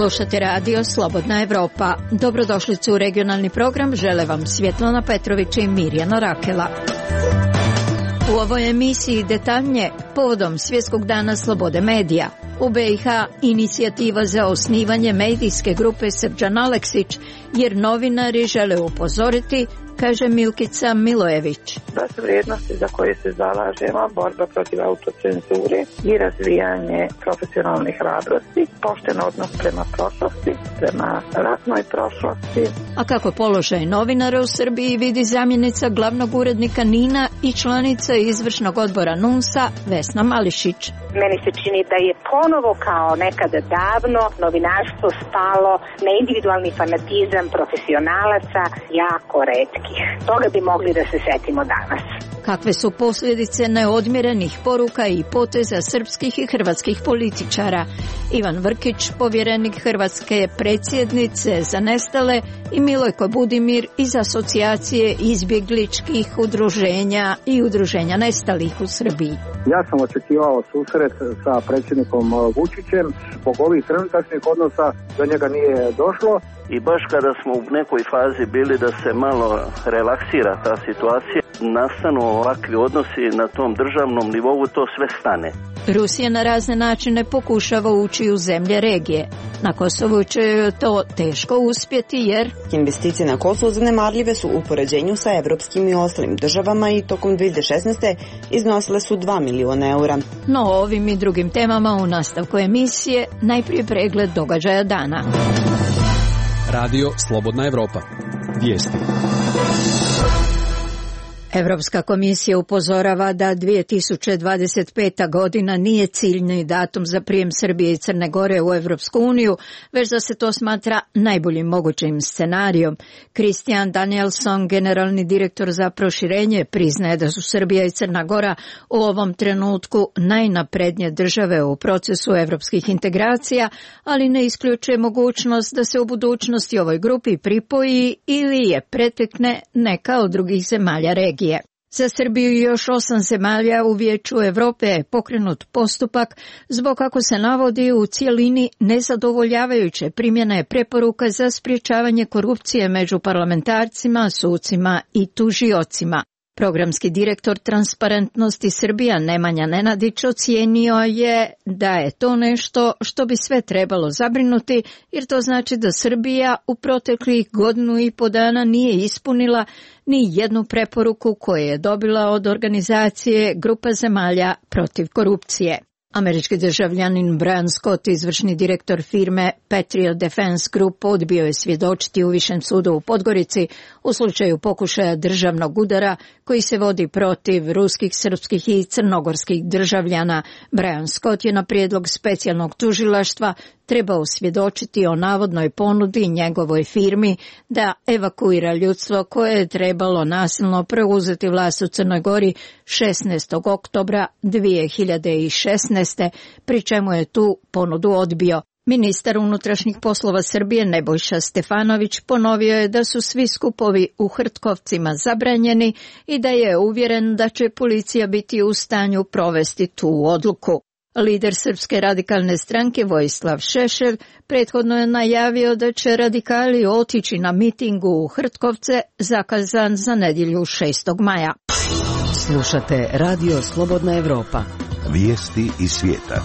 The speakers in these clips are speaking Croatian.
Slušate radio Slobodna Evropa. Dobrodošlicu u regionalni program žele vam Svjetlana Petrović i Mirjana Rakela. U ovoj emisiji detaljnije povodom Svjetskog dana slobode medija. U BiH inicijativa za osnivanje medijske grupe Srđan Aleksić, jer novinari žele upozoriti, kaže Milkica Milojević. Da su vrijednosti za koje se zalažemo, borba protiv autocenzure i razvijanje profesionalnih hrabrosti, pošten odnos prema prošlosti, prema ratnoj prošlosti. A kako položaj novinara u Srbiji vidi zamjenica glavnog urednika NIN-a i članica izvršnog odbora NUNS-a Vesna Mališić. Meni se čini da je ponovo kao nekada davno novinarstvo spalo na individualni fanatizam profesionalaca jako retkih. Toga bi mogli da se setimo danas. Kakve su posljedice neodmjerenih poruka i poteza srpskih i hrvatskih političara? Ivan Vrkić, povjerenik hrvatske predsjednice za nestale, i Milojko Budimir iz asocijacije izbjegličkih udruženja i udruženja nestalih u Srbiji. Ja sam očekivao susret sa predsjednikom Vučićem, zbog ovih trenutačnih odnosa do njega nije došlo. I baš kada smo u nekoj fazi bili da se malo relaksira ta situacija, nastanu ovakvi odnosi na tom državnom nivou, to sve stane. Rusija na razne načine pokušava ući u zemlje regije. Na Kosovu će to teško uspjeti jer investicije na Kosovu zanemarljive su u poređenju sa evropskim i ostalim državama i tokom 2016. iznosile su 2 miliona eura. No ovim i drugim temama u nastavku emisije najprije pregled događaja dana. Radio Slobodna Evropa. Vijesti. Europska komisija upozorava da 2025. godina nije ciljni datum za prijem Srbije i Crne Gore u Europsku uniju, već da se to smatra najboljim mogućim scenarijom. Christian Danielson, generalni direktor za proširenje, priznaje da su Srbija i Crna Gora u ovom trenutku najnaprednije države u procesu europskih integracija, ali ne isključuje mogućnost da se u budućnosti ovoj grupi pripoji ili je pretekne neka od drugih zemalja regije. Za Srbiju i još 8 zemalja u Vijeću Europe je pokrenut postupak zbog, kako se navodi, u cijelini nezadovoljavajuće primjene preporuka za sprječavanje korupcije među parlamentarcima, sucima i tužiocima. Programski direktor Transparentnosti Srbija Nemanja Nenadić ocijenio je da je to nešto što bi sve trebalo zabrinuti, jer to znači da Srbija u proteklih 1,5 dana nije ispunila ni jednu preporuku koju je dobila od organizacije Grupa zemalja protiv korupcije. Američki državljanin Brian Scott, izvršni direktor firme Patriot Defense Group, odbio je svjedočiti u Višem sudu u Podgorici u slučaju pokušaja državnog udara koji se vodi protiv ruskih, srpskih i crnogorskih državljana. Brian Scott je na prijedlog specijalnog tužilaštva trebao svjedočiti o navodnoj ponudi njegovoj firmi da evakuira ljudstvo koje je trebalo nasilno preuzeti vlast u Crnoj Gori 16. oktobra 2016. pri čemu je tu ponudu odbio. Ministar unutrašnjih poslova Srbije Nebojša Stefanović ponovio je da su svi skupovi u Hrtkovcima zabranjeni i da je uvjeren da će policija biti u stanju provesti tu odluku. Lider Srpske radikalne stranke Vojislav Šešelj prethodno je najavio da će radikali otići na mitingu u Hrtkovce zakazan za nedjelju 6. maja. Slušate Radio Slobodna Evropa. Vijesti iz svijeta.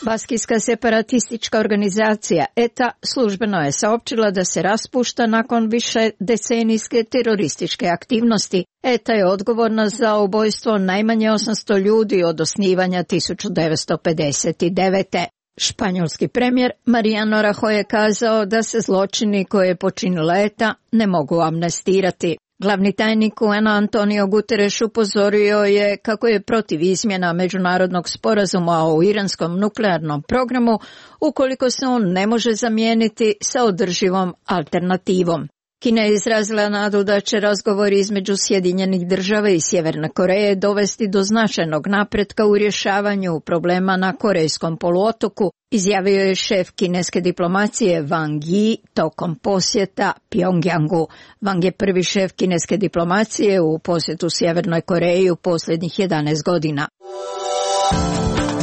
Baskijska separatistička organizacija ETA službeno je saopćila da se raspušta nakon više decenijske terorističke aktivnosti. ETA je odgovorna za ubojstvo najmanje 800 ljudi od osnivanja 1959. Španjolski premijer Mariano Rajoy je kazao da se zločini koje je počinila ETA ne mogu amnestirati. Glavni tajnik UN-a Antonio Guterres upozorio je kako je protiv izmjena međunarodnog sporazuma o iranskom nuklearnom programu ukoliko se on ne može zamijeniti sa održivom alternativom. Kina je izrazila nadu da će razgovori između Sjedinjenih Država i Sjeverne Koreje dovesti do značajnog napretka u rješavanju problema na Korejskom poluotoku, izjavio je šef kineske diplomacije Wang Yi tokom posjeta Pjongjangu. Wang je prvi šef kineske diplomacije u posjetu Sjevernoj Koreji u posljednjih 11 godina.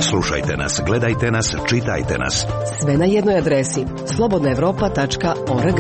Slušajte nas, gledajte nas, čitajte nas. Sve na jednoj adresi slobodnaevropa.org.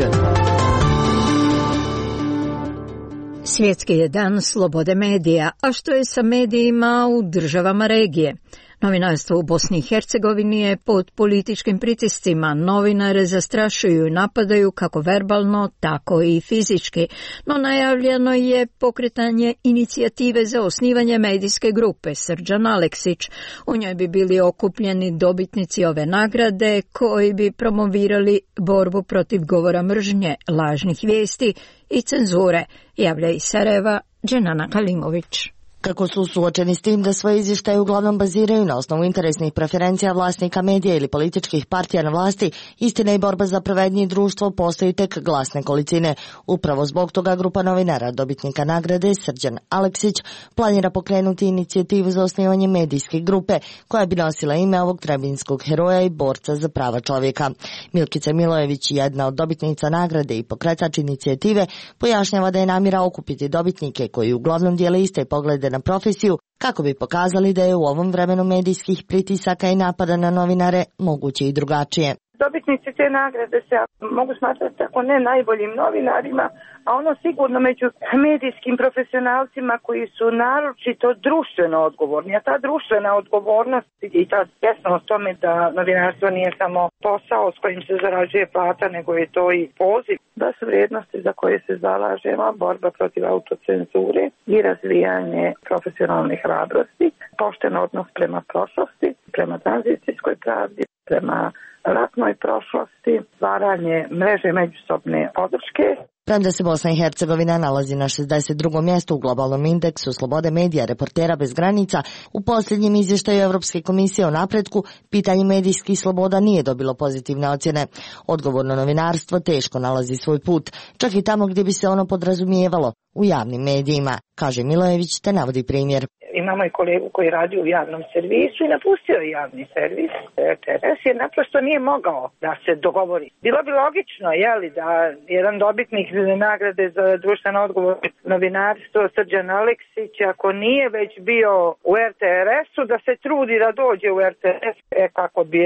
Svjetski je dan slobode medija, a što je sa medijima u državama regije? Novinarstvo u Bosni i Hercegovini je pod političkim pritiscima. Novinare zastrašuju i napadaju kako verbalno, tako i fizički. No najavljeno je pokretanje inicijative za osnivanje medijske grupe Srđan Aleksić. U njoj bi bili okupljeni dobitnici ove nagrade koji bi promovirali borbu protiv govora mržnje, lažnih vijesti i cenzure, javlja iz Sarajeva Dženana Kalimović. Kako su suočeni s tim da svoje izvještaje uglavnom baziraju na osnovu interesnih preferencija vlasnika medija ili političkih partija na vlasti, istina i borba za pravednije društvo postoji tek glas nekolicine. Upravo zbog toga grupa novinara, dobitnika nagrade Srđan Aleksić, planira pokrenuti inicijativu za osnivanje medijske grupe, koja bi nosila ime ovog trebinskog heroja i borca za prava čovjeka. Milkica Milojević, jedna od dobitnica nagrade i pokretač inicijative, pojašnjava da je namjera okupiti dobitnike koji uglavnom dijele iste poglede na profesiju, kako bi pokazali da je u ovom vremenu medijskih pritisaka i napada na novinare moguće i drugačije. Dobitnici te nagrade se mogu smatrati ako ne najboljim novinarima, a ono sigurno među medijskim profesionalcima koji su naročito društveno odgovorni. A ta društvena odgovornost i ta svjesnost tome da novinarstvo nije samo posao s kojim se zarađuje plata, nego je to i poziv. Da su vrijednosti za koje se zalažemo, borba protiv autocenzure i razvijanje profesionalne hrabrosti, pošten odnos prema prošlosti, prema tranzicijskoj pravdi, prema ratnoj prošlosti, stvaranje mreže međusobne podrške. Premda se Bosna i Hercegovina nalazi na 62. mjestu u globalnom indeksu slobode medija Reportera bez granica, u posljednjem izvještaju Europske komisije o napretku pitanje medijskih sloboda nije dobilo pozitivne ocjene. Odgovorno novinarstvo teško nalazi svoj put, čak i tamo gdje bi se ono podrazumijevalo, u javnim medijima, kaže Milojević te navodi primjer. Imamo i kolegu koji radi u javnom servisu i napustio je javni servis RTS jer naprosto nije mogao da se dogovori. Bilo bi logično, da jedan dobitnik nagrade za društveno odgovorno novinarstvo Srđan Aleksić, ako nije već bio u RTRS-u, da se trudi da dođe u RTS, kako bi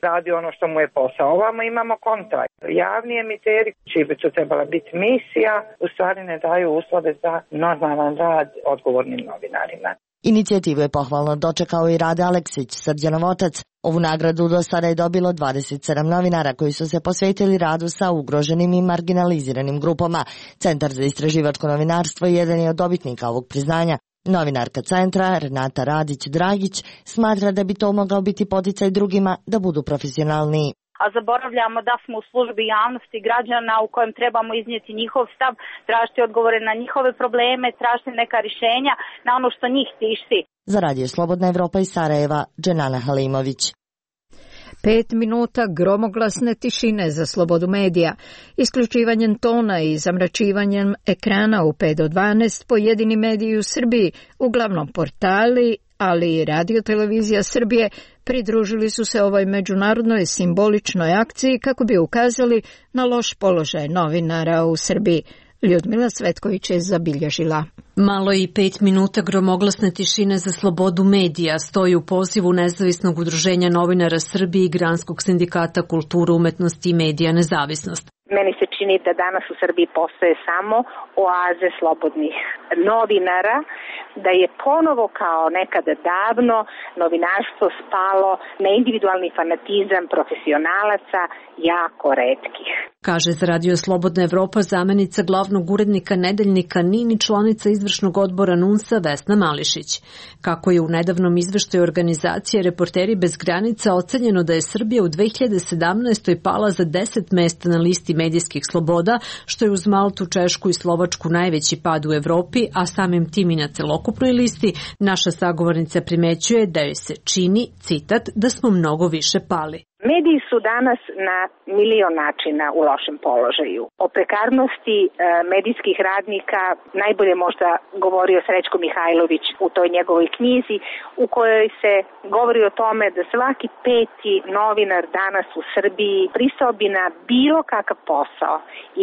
radi ono što mu je posao. Ovamo imamo kontra. Javni emiteri, čiji bi to trebala biti misija, u stvari ne daju uslove za normalan rad odgovornim novinarima. Inicijativu je pohvalno dočekao i Rade Aleksić, Srđanov otac. Ovu nagradu do sada je dobilo 27 novinara koji su se posvetili radu sa ugroženim i marginaliziranim grupama. Centar za istraživačko novinarstvo jedan je od dobitnika ovog priznanja. Novinarka centra, Renata Radić-Dragić, smatra da bi to mogao biti poticaj drugima da budu profesionalniji. A zaboravljamo da smo u službi javnosti građana u kojem trebamo iznijeti njihov stav, tražiti odgovore na njihove probleme, tražiti neka rješenja na ono što njih tišti. Za Radio Slobodna Evropa iz Sarajeva, Dženana Halimović. 5 minuta gromoglasne tišine za slobodu medija. Isključivanjem tona i zamračivanjem ekrana u 5 do 12 pojedini mediji u Srbiji, uglavnom portali, ali i Radio-televizija Srbije, pridružili su se ovoj međunarodnoj simboličnoj akciji kako bi ukazali na loš položaj novinara u Srbiji. Ljudmila Svetković je zabilježila. Malo i 5 minuta gromoglasne tišine za slobodu medija stoji u pozivu Nezavisnog udruženja novinara Srbije i Granskog sindikata kulture, umetnosti i medija Nezavisnost. Meni se čini da danas u Srbiji postoje samo oaze slobodnih novinara, da je ponovo kao nekada davno novinarstvo spalo na individualni fanatizam profesionalaca jako retkih. Kaže za Radio Slobodna Evropa zamenica glavnog urednika Nedeljnika NIN i članica izvršnog odbora NUNS-a Vesna Mališić. Kako je u nedavnom izveštaju organizacije Reporteri bez granica ocenjeno da je Srbija u 2017. pala za 10 mjesta na listi medijskih sloboda, što je uz Maltu, Češku i Slovačku najveći pad u Evropi, a samim tim i na celokupnoj listi, naša sagovornica primećuje da joj se čini, citat, da smo mnogo više pali. Mediji su danas na milion načina u lošem položaju. O prekarnosti medijskih radnika najbolje možda govorio Srećko Mihajlović u toj njegovoj knjizi u kojoj se govori o tome da svaki peti novinar danas u Srbiji pristao bi na bilo kakav posao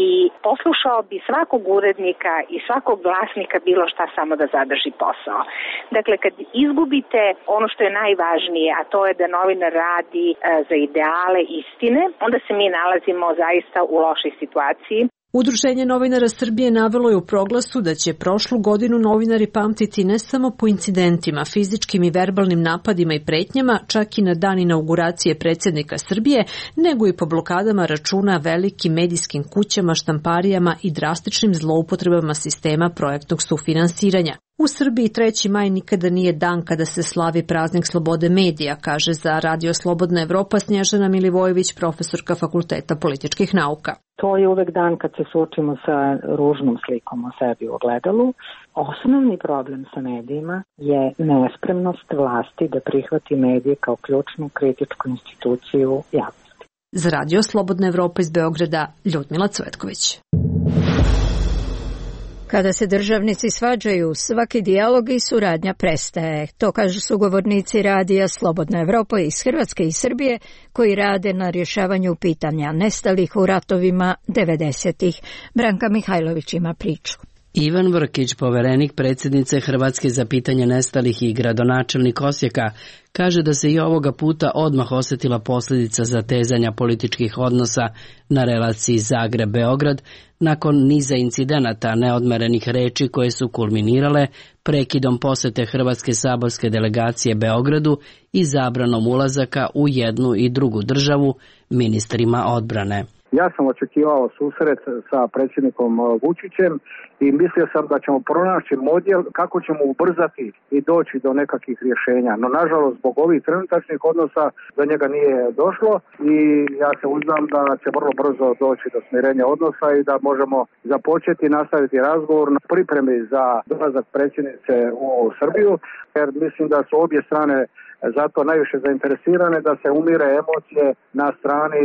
i poslušao bi svakog urednika i svakog glasnika bilo šta samo da zadrži posao. Dakle, kad izgubite ono što je najvažnije, a to je da novinar radi za ideale istine, onda se mi nalazimo zaista u lošoj situaciji. Udruženje novinara Srbije navelo je u proglasu da će prošlu godinu novinari pamtiti ne samo po incidentima, fizičkim i verbalnim napadima i pretnjama, čak i na dan inauguracije predsjednika Srbije, nego i po blokadama računa velikim medijskim kućama, štamparijama i drastičnim zloupotrebama sistema projektnog sufinansiranja. U Srbiji 3. maj nikada nije dan kada se slavi praznik slobode medija, kaže za Radio Slobodna Evropa Snježana Milivojević, profesorka Fakulteta političkih nauka. To je uvek dan kad se suočimo sa ružnom slikom o sebi u ogledalu. Osnovni problem sa medijima je nespremnost vlasti da prihvati medije kao ključnu kritičku instituciju javnosti. Za Radio Slobodna Evropa iz Beograda, Ljudmila Cvetković. Kada se državnici svađaju, svaki dijalog i suradnja prestaje. To kažu sugovornici Radija Slobodna Evropa iz Hrvatske i Srbije koji rade na rješavanju pitanja nestalih u ratovima 90-ih. Branka Mihajlović ima priču. Ivan Vrkić, poverenik predsjednice Hrvatske za pitanje nestalih i gradonačelnik Osijeka, kaže da se i ovoga puta odmah osjetila posljedica zatezanja političkih odnosa na relaciji Zagreb-Beograd nakon niza incidenata neodmerenih reči koje su kulminirale prekidom posjete Hrvatske saborske delegacije Beogradu i zabranom ulazaka u jednu i drugu državu ministrima odbrane. Ja sam očekivao susret sa predsjednikom Vučićem i mislio sam da ćemo pronaći model kako ćemo ubrzati i doći do nekakvih rješenja. No, nažalost, zbog ovih trenutačnih odnosa do njega nije došlo i ja se uzdam da će vrlo brzo doći do smirenja odnosa i da možemo započeti nastaviti razgovor na pripremi za dolazak predsjednice u Srbiju, jer mislim da su obje strane zato najviše zainteresirane da se umire emocije na strani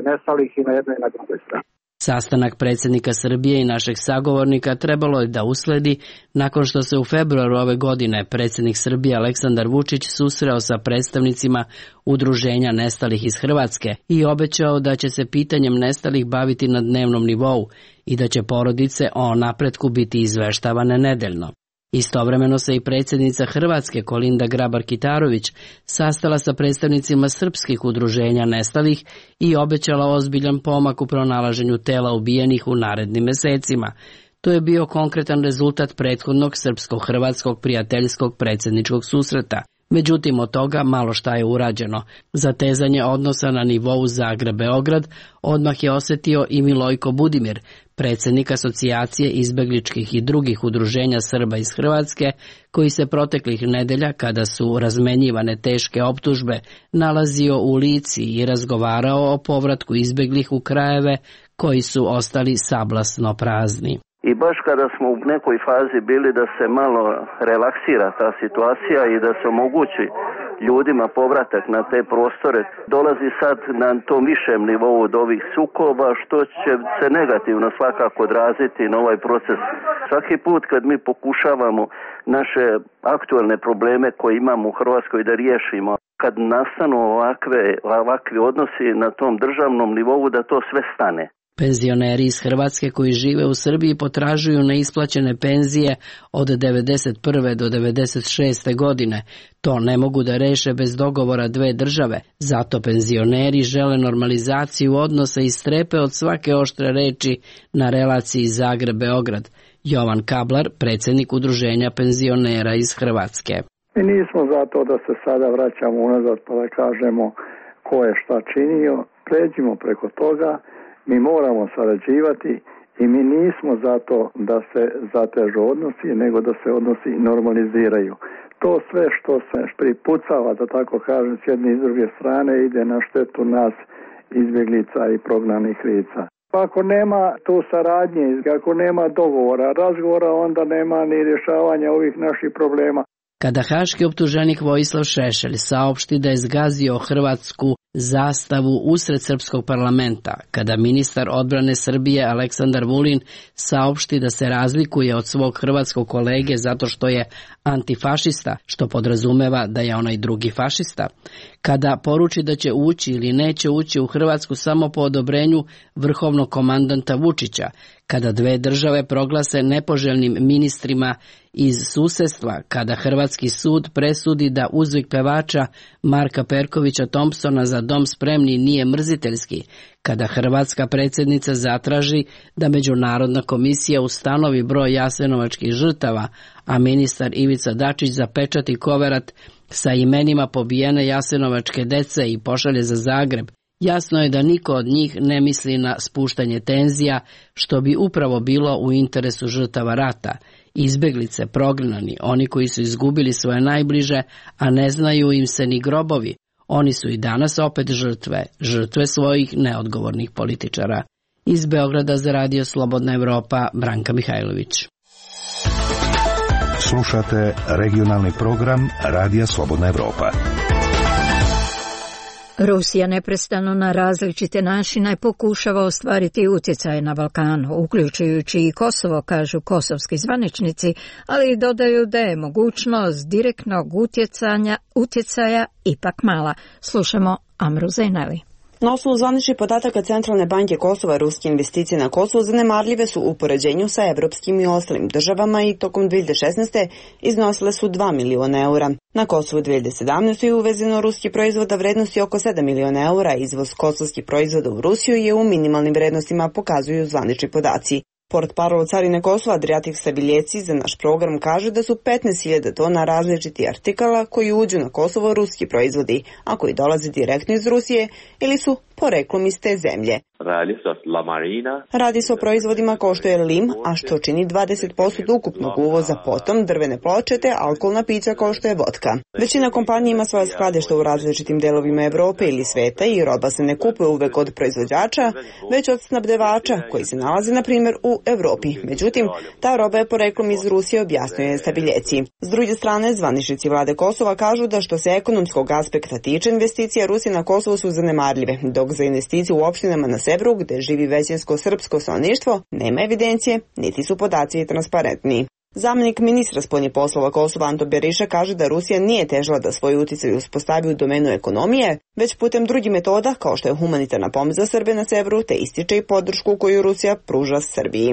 nestalih i na jednoj i na drugoj strani. Sastanak predsjednika Srbije i našeg sagovornika trebalo je da usledi nakon što se u februaru ove godine predsjednik Srbije Aleksandar Vučić susreo sa predstavnicima Udruženja nestalih iz Hrvatske i obećao da će se pitanjem nestalih baviti na dnevnom nivou i da će porodice o napretku biti izveštavane nedeljno. Istovremeno se i predsjednica Hrvatske Kolinda Grabar-Kitarović sastala sa predstavnicima srpskih udruženja nestalih i obećala ozbiljan pomak u pronalaženju tela ubijenih u narednim mesecima. To je bio konkretan rezultat prethodnog srpsko-hrvatskog prijateljskog predsjedničkog susreta. Međutim, od toga malo šta je urađeno. Zatezanje odnosa na nivou Zagreb-Beograd odmah je osjetio i Milojko Budimir, predsjednik Asocijacije izbegličkih i drugih udruženja Srba iz Hrvatske, koji se proteklih nedelja, kada su razmenjivane teške optužbe, nalazio u Lici i razgovarao o povratku izbeglih u krajeve koji su ostali sablasno prazni. I baš kada smo u nekoj fazi bili da se malo relaksira ta situacija i da se omogući ljudima povratak na te prostore, dolazi sad na tom višem nivou od ovih sukoba, što će se negativno svakako odraziti na ovaj proces. Svaki put kad mi pokušavamo naše aktualne probleme koje imamo u Hrvatskoj da riješimo, kad nastanu ovakvi odnosi na tom državnom nivou, da to sve stane. Penzioneri iz Hrvatske koji žive u Srbiji potražuju neisplaćene penzije od 1991. do 1996. godine. To ne mogu da reše bez dogovora dve države. Zato penzioneri žele normalizaciju odnosa i strepe od svake oštre reči na relaciji Zagreb-Beograd. Jovan Kablar, predsjednik Udruženja penzionera iz Hrvatske. Mi nismo zato da se sada vraćamo unazad pa da kažemo ko je šta činio. Pređimo preko toga. Mi moramo sarađivati i mi nismo zato da se zatežu odnosi, nego da se odnosi normaliziraju. To sve što se pripucava, da tako kažem, s jedne i druge strane ide na štetu nas, izbjeglica i prognanih lica. Ako nema tu saradnje, ako nema dogovora, razgovora, onda nema ni rješavanja ovih naših problema. Kada haški optuženik Vojislav Šešelj saopšti da je zgazio Hrvatsku zastavu usred srpskog parlamenta, kada ministar odbrane Srbije Aleksandar Vulin saopšti da se razlikuje od svog hrvatskog kolege zato što je antifašista, što podrazumeva da je onaj drugi fašista, kada poruči da će ući ili neće ući u Hrvatsku samo po odobrenju vrhovnog komandanta Vučića, kada dve države proglase nepoželjnim ministrima iz susedstva, kada hrvatski sud presudi da uzvik pevača Marka Perkovića Thompsona za dom spremni nije mrziteljski, kada hrvatska predsjednica zatraži da Međunarodna komisija ustanovi broj jasenovačkih žrtava, a ministar Ivica Dačić zapečati koverat sa imenima pobijene jasenovačke dece i pošalje za Zagreb, jasno je da niko od njih ne misli na spuštanje tenzija, što bi upravo bilo u interesu žrtava rata, izbeglice, prognani, oni koji su izgubili svoje najbliže, a ne znaju im se ni grobovi. Oni su i danas opet žrtve svojih neodgovornih političara. Iz Beograda za Radio Slobodna Evropa, Branka Mihajlović. Slušate regionalni program Radija Slobodna Evropa. Rusija neprestano na različite načine pokušava ostvariti utjecaj na Balkanu, uključujući i Kosovo, kažu kosovski zvaničnici, ali dodaju da je mogućnost direktnog utjecaja ipak mala. Slušamo Amru Zeinawi. Na osnovu zvaničnih podataka Centralne banke Kosova, ruske investicije na Kosovu zanemarljive su u poređenju sa evropskim i ostalim državama i tokom 2016. iznosile su 2 miliona eura. Na Kosovu 2017. je uvezeno ruski proizvoda vrednosti oko 7 miliona eura, izvoz kosovskih proizvoda u Rusiju je u minimalnim vrednostima, pokazuju zvanični podaci. Portparol carine Kosova Adriatic Sabiljeci za naš program kaže da su 15.000 tona različitih artikala koji uđu na Kosovo ruski proizvodi, a koji dolaze direktno iz Rusije ili su poreklom iz te zemlje. Radi se o proizvodima kao što je lim, a što čini 20% od ukupnog uvoza, potom drvene ploče te alkoholna pića kao što je vodka. Većina kompanija ima svoje skladišta u različitim delovima Evrope ili sveta i roba se ne kupuje uvek od proizvođača, već od snabdevača koji se nalaze na primjer u Evropi. Međutim, ta roba je poreklom iz Rusije, objasnjuje Stabiljeci. S druge strane, zvaničnici vlade Kosova kažu da što se ekonomskog aspekta tiče, investicije Rusije na Kosovu su zanemarljive, dok za investiciju u opštinama na severu, gde živi većinsko srpsko stanovništvo, nema evidencije, niti su podaci transparentni. Zamenik ministra spoljnih poslova Kosova Anto Beriša kaže da Rusija nije težila da svoj uticaj uspostavi u domenu ekonomije, već putem drugih metoda kao što je humanitarna pomoć za Srbe na severu, te ističe i podršku koju Rusija pruža Srbiji.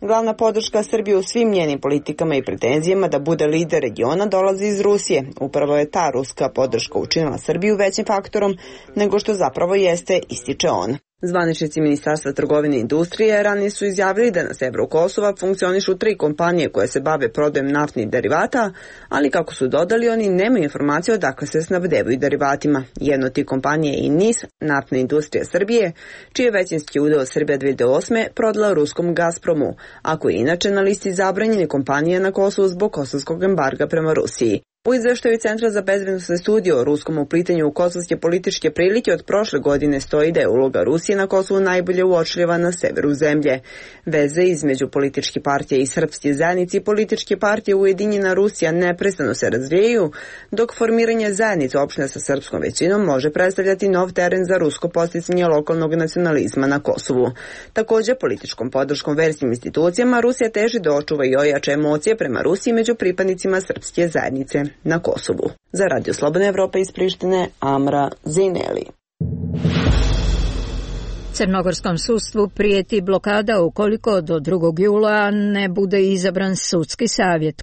Glavna podrška Srbije u svim njenim politikama i pretenzijama da bude lider regiona dolazi iz Rusije. Upravo je ta ruska podrška učinila Srbiju većim faktorom nego što zapravo jeste, ističe on. Zvaničnici Ministarstva trgovine i industrije ranije su izjavili da na severu Kosova funkcionišu 3 kompanije koje se bave prodajom naftnih derivata, ali kako su dodali, oni nemaju informacije odakle se snabdevaju derivatima. Jedna od tih kompanija je i NIS, naftna industrija Srbije, čiji je većinski udeo Srbija 2008. prodala ruskom Gazpromu, a koji je inače na listi zabranjene kompanije na Kosovu zbog kosovskog embarga prema Rusiji. U izveštaju Centra za bezbednosne studije o ruskom uplitanju u kosovske političke prilike od prošle godine stoji da je uloga Rusije na Kosovu najbolje uočljiva na severu zemlje. Veze između političke partije i srpske zajednice i političke partije Ujedinjena Rusija neprestano se razvijaju, dok formiranje zajednice opština sa srpskom većinom može predstavljati nov teren za rusko posticanje lokalnog nacionalizma na Kosovu. Također, političkom podrškom verskim institucijama Rusija teži da očuva i ojača emocije prema Rusiji među pripadnicima srpske zajednice na Kosovu. Za Radio Slobodna Evropa iz Prištine, Amra Zeinawi. Crnogorskom sudstvu prijeti blokada ukoliko do 2. jula ne bude izabran sudski savjet,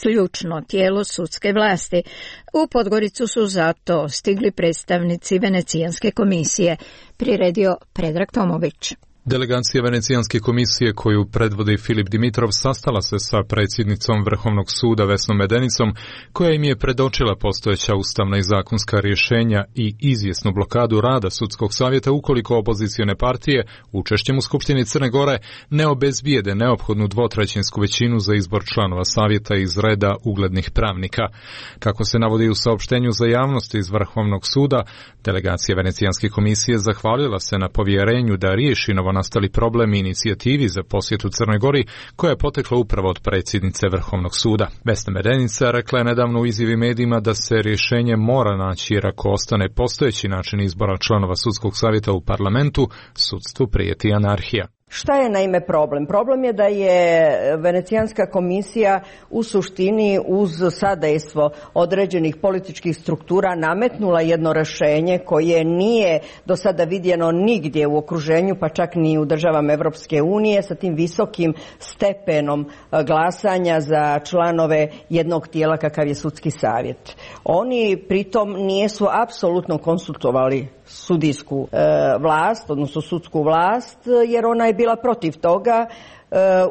ključno tijelo sudske vlasti. U Podgoricu su zato stigli predstavnici Venecijanske komisije, priredio Predrag Tomović. Delegacija Venecijanske komisije koju predvodi Filip Dimitrov sastala se sa predsjednicom Vrhovnog suda Vesnom Medenicom, koja im je predočila postojeća ustavna i zakonska rješenja i izvjesnu blokadu rada sudskog savjeta ukoliko opozicione partije učešćem u Skupštini Crne Gore ne obezbijede neophodnu 2/3 većinu za izbor članova savjeta iz reda uglednih pravnika. Kako se navodi u saopštenju za javnost iz Vrhovnog suda, delegacija Venecijanske komisije zahvalila se na povjerenju da riješi novo novonastali problem i inicijativi za posjetu Crnoj Gori, koja je potekla upravo od predsjednice Vrhovnog suda. Vesna Medenica rekla je nedavno u izjavi medijima da se rješenje mora naći, jer ako ostane postojeći način izbora članova sudskog savjeta u parlamentu, sudstvu prijeti anarhija. Šta je naime problem? Problem je da je Venecijanska komisija u suštini uz sadejstvo određenih političkih struktura nametnula jedno rješenje koje nije do sada vidjeno nigdje u okruženju, pa čak ni u državama Evropske unije, sa tim visokim stepenom glasanja za članove jednog tijela kakav je sudski savjet. Oni pritom nisu apsolutno konsultovali sudijsku vlast, odnosno sudsku vlast, jer ona je bila protiv toga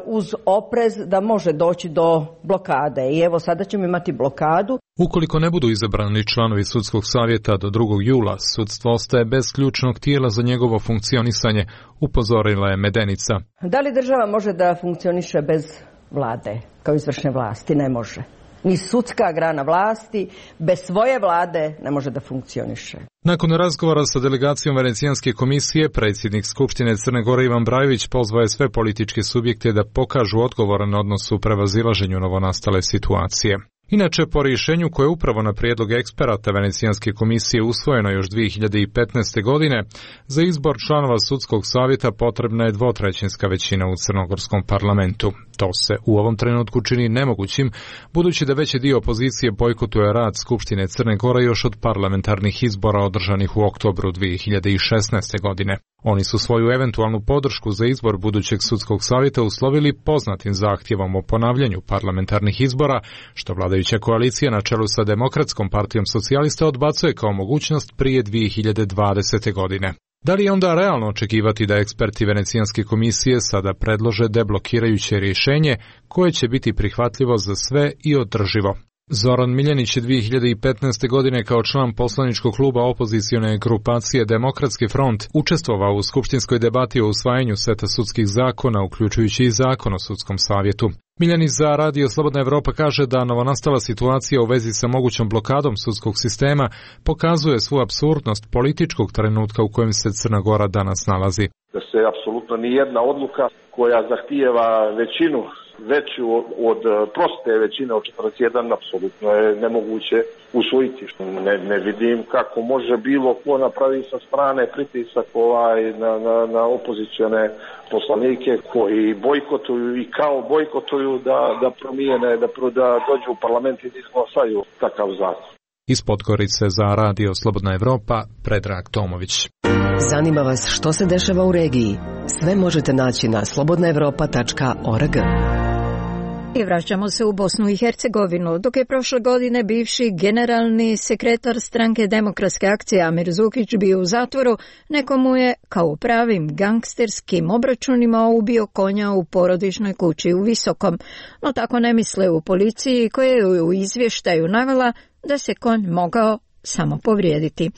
uz oprez da može doći do blokade. I evo sada ćemo imati blokadu. Ukoliko ne budu izabrani članovi sudskog savjeta do 2. jula, sudstvo ostaje bez ključnog tijela za njegovo funkcionisanje, upozorila je Medenica. Da li država može da funkcioniše bez vlade kao izvršne vlasti? Ne može. Ni sudska grana vlasti bez svoje vlade ne može da funkcioniše. Nakon razgovora sa delegacijom Venecijanske komisije, predsjednik Skupštine Crne Gore Ivan Brajović pozvao je sve političke subjekte da pokažu odgovoran odnos u prevazilaženju novonastale situacije. Inače, po rješenju koje je upravo na prijedlog eksperata Venecijanske komisije usvojeno još 2015. godine, za izbor članova sudskog savjeta potrebna je 2/3 većina u crnogorskom parlamentu. To se u ovom trenutku čini nemogućim, budući da veći dio opozicije bojkotuje rad Skupštine Crne Gore još od parlamentarnih izbora održanih u oktobru 2016. godine. Oni su svoju eventualnu podršku za izbor budućeg sudskog savjeta uslovili poznatim zahtjevom o ponavljanju parlamentarnih izbora, što vladajuća koalicija na čelu sa Demokratskom partijom socijalista odbacuje kao mogućnost prije 2020. godine. Da li je onda realno očekivati da eksperti Venecijanske komisije sada predlože deblokirajuće rješenje koje će biti prihvatljivo za sve i održivo? Zoran Miljanić je 2015. godine kao član poslaničkog kluba opozicione grupacije Demokratski front učestvovao u skupštinskoj debati o usvajanju seta sudskih zakona, uključujući i zakon o sudskom savjetu. Miljanić za Radio Slobodna Evropa kaže da novonastala situacija u vezi sa mogućom blokadom sudskog sistema pokazuje svu apsurdnost političkog trenutka u kojem se Crna Gora danas nalazi. Da se apsolutno ni jedna odluka koja zahtijeva većinu veću od proste većine od 41 apsolutno je nemoguće usvojiti. Ne vidim kako može bilo ko napravi sa strane pritisak na opozicione poslanike koji bojkotuju i kao bojkotuju da promijene, da dođu u parlament i izglasaju takav zakon. Iz Podgorice za Radio Slobodna Evropa, Predrag Tomović. Zanima vas što se dešava u regiji? Sve možete naći na slobodnaevropa.org. I vraćamo se u Bosnu i Hercegovinu. Dok je prošle godine bivši generalni sekretar stranke Demokratske akcije Amir Zukić bio u zatvoru, neko mu je, kao u pravim gangsterskim obračunima, ubio konja u porodičnoj kući u Visokom. No tako ne misle u policiji, koja je u izvještaju navela da se konj mogao samo povrijediti.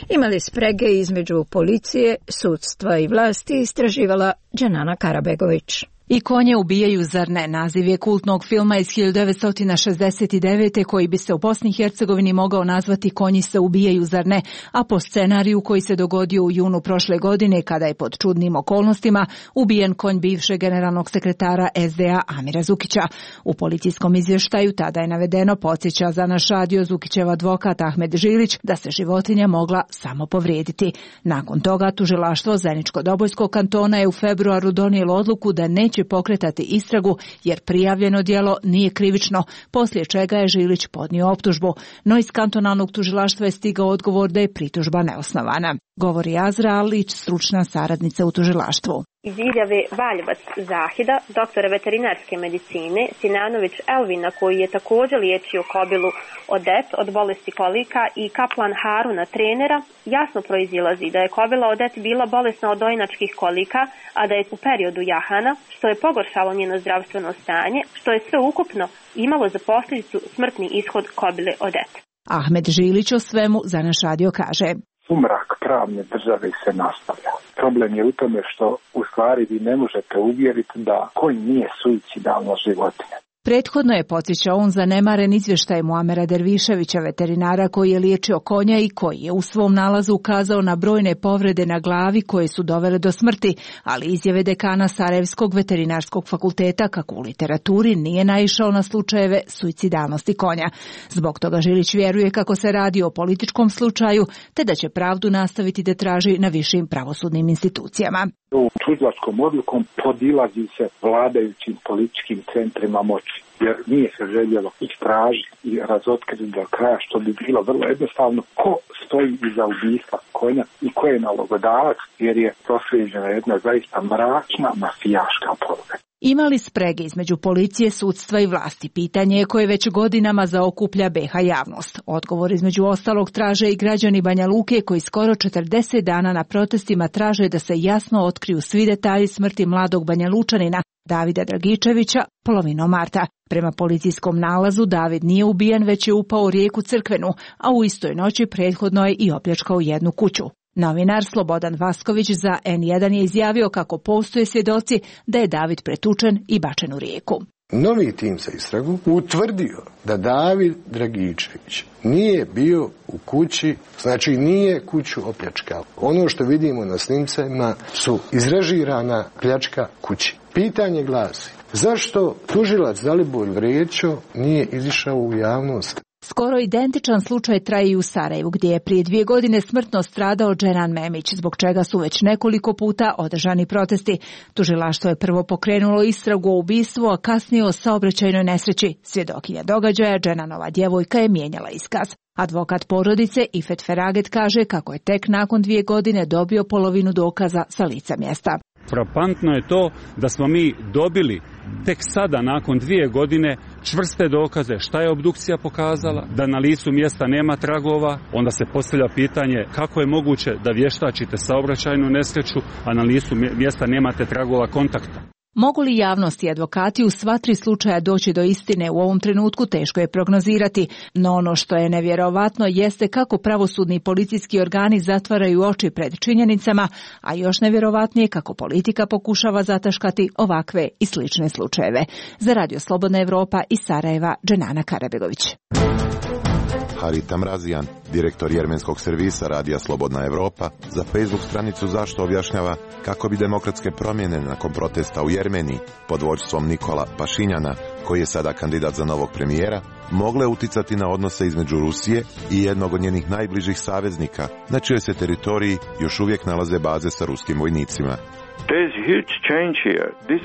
Imali sprege između policije, sudstva i vlasti, istraživala Dženana Karabegović. I konje ubijaju, zar ne? Naziv je kultnog filma iz 1969. koji bi se u Bosni i Hercegovini mogao nazvati Konji se ubijaju, zar ne? A po scenariju koji se dogodio u junu prošle godine, kada je pod čudnim okolnostima ubijen konj bivšeg generalnog sekretara SDA Amira Zukića. U policijskom izvještaju tada je navedeno, podsjeća za naš radio Zukićev advokat Ahmed Žilić, da se životinja mogla samo povrijediti. Nakon toga tužilaštvo Zeničko-Dobojskog kantona je u februaru donijelo odluku da neće pokretati istragu jer prijavljeno djelo nije krivično, poslije čega je Žilić podnio optužbu. No iz kantonalnog tužilaštva je stigao odgovor da je pritužba neosnovana. Govori Azra Alić, stručna saradnica u tužilaštvu. Iz izjave Valjevac Zahida, doktora veterinarske medicine, Sinanović Elvina, koji je također liječio kobilu Odet od bolesti kolika, i kaplan Haruna, trenera, jasno proizilazi da je kobila Odet bila bolesna od dojnačkih kolika, a da je u periodu jahana, što je pogoršalo njeno zdravstveno stanje, što je sve ukupno imalo za posljedicu smrtni ishod kobile Odet. Ahmed Žilić o svemu za naš radio kaže: Sumrak pravne države se nastavlja. Problem je u tome što u stvari vi ne možete uvjeriti da konj nije suicidalna životinja. Prethodno je, podsjeća on, zanemaren izvještaj Muamera Derviševića, veterinara koji je liječio konja i koji je u svom nalazu ukazao na brojne povrede na glavi koje su dovele do smrti, ali izjave dekana Sarajevskog veterinarskog fakulteta, kako u literaturi, nije naišao na slučajeve suicidalnosti konja. Zbog toga Žilić vjeruje kako se radi o političkom slučaju, te da će pravdu nastaviti da traži na višim pravosudnim institucijama. U tužilačkom odlukom podilazi se vladajućim političkim centrima moći, jer nije se željelo istražiti i razotkriti do kraja, što bi bilo vrlo jednostavno ko stoji iza ubistva konja i ko je nalogodavac, jer je proslijeđena jedna zaista mračna mafijaška poruka. Imali sprege između policije, sudstva i vlasti? Pitanje je koje već godinama zaokuplja BiH javnost. Odgovor između ostalog traže i građani Banja Luke koji skoro 40 dana na protestima traže da se jasno otkriju svi detalji smrti mladog Banja Lučanina Davida Dragičevića polovinom marta. Prema policijskom nalazu David nije ubijen, već je upao u rijeku Crkvenu, a u istoj noći prethodno je i opljačkao jednu kuću. Novinar Slobodan Vasković za N1 je izjavio kako postoje svjedoci da je David pretučen i bačen u rijeku. Novi tim za istragu utvrdio da David Dragičević nije bio u kući, znači nije kuću opljačkao. Ono što vidimo na snimcima su izrežirana pljačka kući. Pitanje glasi, zašto tužilac Dalibor Vrećo nije izišao u javnost? Skoro identičan slučaj traje i u Sarajevu, gdje je prije 2 godine smrtno stradao Dženan Memić, zbog čega su već nekoliko puta održani protesti. Tužilaštvo je prvo pokrenulo istragu o ubistvu, a kasnije o saobraćajnoj nesreći. Svjedokinja događaja, Dženanova djevojka, je mijenjala iskaz. Advokat porodice Ifet Feraget kaže kako je tek nakon 2 godine dobio polovinu dokaza sa lica mjesta. Frapantno je to da smo mi dobili tek sada, nakon 2 godine, čvrste dokaze šta je obdukcija pokazala, da na licu mjesta nema tragova. Onda se postavlja pitanje kako je moguće da vještačite saobraćajnu nesreću, a na licu mjesta nemate tragova kontakta. Mogu li javnost i advokati u sva 3 slučaja doći do istine u ovom trenutku, teško je prognozirati, no ono što je nevjerovatno jeste kako pravosudni i policijski organi zatvaraju oči pred činjenicama, a još nevjerovatnije kako politika pokušava zataškati ovakve i slične slučajeve. Za Radio Slobodna Evropa iz Sarajeva, Dženana Karabegović. Harit Tamrazijan, direktor jermenskog servisa Radija Slobodna Evropa, za Facebook stranicu Zašto objašnjava kako bi demokratske promjene nakon protesta u Jermeniji pod vođstvom Nikola Pašinjana, koji je sada kandidat za novog premijera, mogle uticati na odnose između Rusije i jednog od njenih najbližih saveznika, na čijoj se teritoriji još uvijek nalaze baze sa ruskim vojnicima.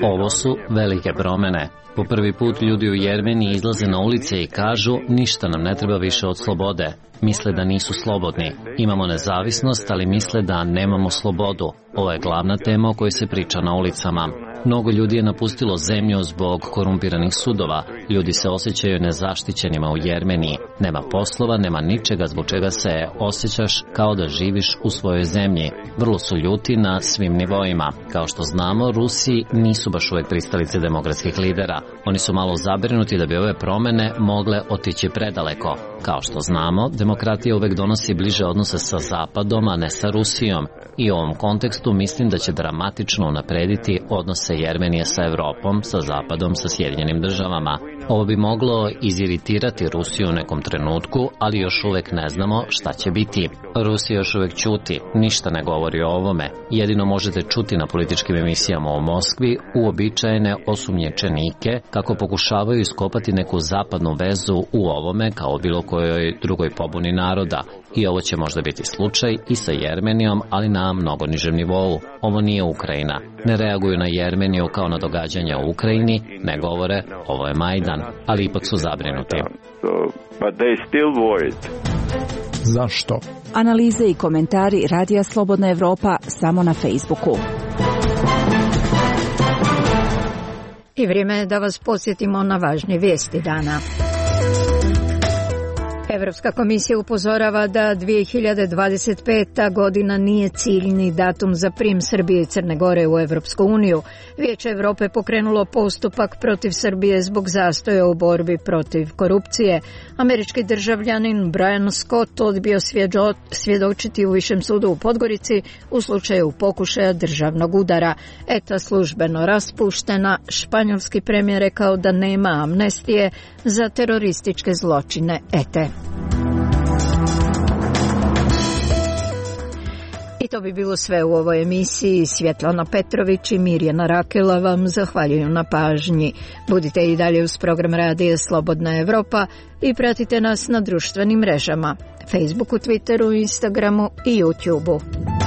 Ovo su velike promjene. Po prvi put ljudi u Jermeniji izlaze na ulice i kažu ništa nam ne treba više od slobode. Misle da nisu slobodni. Imamo nezavisnost, ali misle da nemamo slobodu. Ovo je glavna tema o kojoj se priča na ulicama. Mnogo ljudi je napustilo zemlju zbog korumpiranih sudova. Ljudi se osjećaju nezaštićenima u Jermeniji. Nema poslova, nema ničega zbog čega se osjećaš kao da živiš u svojoj zemlji. Vrlo su ljuti na svim nivoima. Kao što znamo, Rusi nisu baš uvek pristalice demokratskih lidera. Oni su malo zabrinuti da bi ove promjene mogle otići predaleko. Kao što znamo, demokratija uvek donosi bliže odnose sa Zapadom, a ne sa Rusijom. I u ovom kontekstu mislim da će dramatično unaprediti odnose Jermenije sa Evropom, sa Zapadom, sa Sjedinjenim državama. Ovo bi moglo iziritirati Rusiju u nekom trenutku, ali još uvek ne znamo šta će biti. Rusija još uvek ćuti, ništa ne govori o ovome. Jedino možete čuti na političkim emisijama u Moskvi uobičajene osumnjičenike kako pokušavaju iskopati neku zapadnu vezu u ovome kao bilo kojoj drugoj pobuni naroda. I ovo će možda biti slučaj i sa Jermenijom, ali na mnogo nižem nivou. Ovo nije Ukrajina. Ne reaguju na Jermeniju kao na događanja u Ukrajini, ne govore ovo je Majdan, ali ipak su zabrinuti. Zašto? Analize i komentari Radija Slobodna Evropa samo na Facebooku. I vrijeme je da vas podsjetimo na važnije vijesti dana. Evropska komisija upozorava da 2025. godina nije ciljni datum za prijem Srbije i Crne Gore u Evropsku uniju. Vijeće Evrope pokrenulo postupak protiv Srbije zbog zastoja u borbi protiv korupcije. Američki državljanin Brian Scott odbio svjedočiti u Višem sudu u Podgorici u slučaju pokušaja državnog udara. ETA službeno raspuštena, španjolski premijer rekao da nema amnestije za terorističke zločine ETA. I to bi bilo sve u ovoj emisiji. Svjetlana Petrović i Mirjana Rakela vam zahvaljuju na pažnji. Budite i dalje uz program Radija Slobodna Evropa i pratite nas na društvenim mrežama, Facebooku, Twitteru, Instagramu i YouTubeu.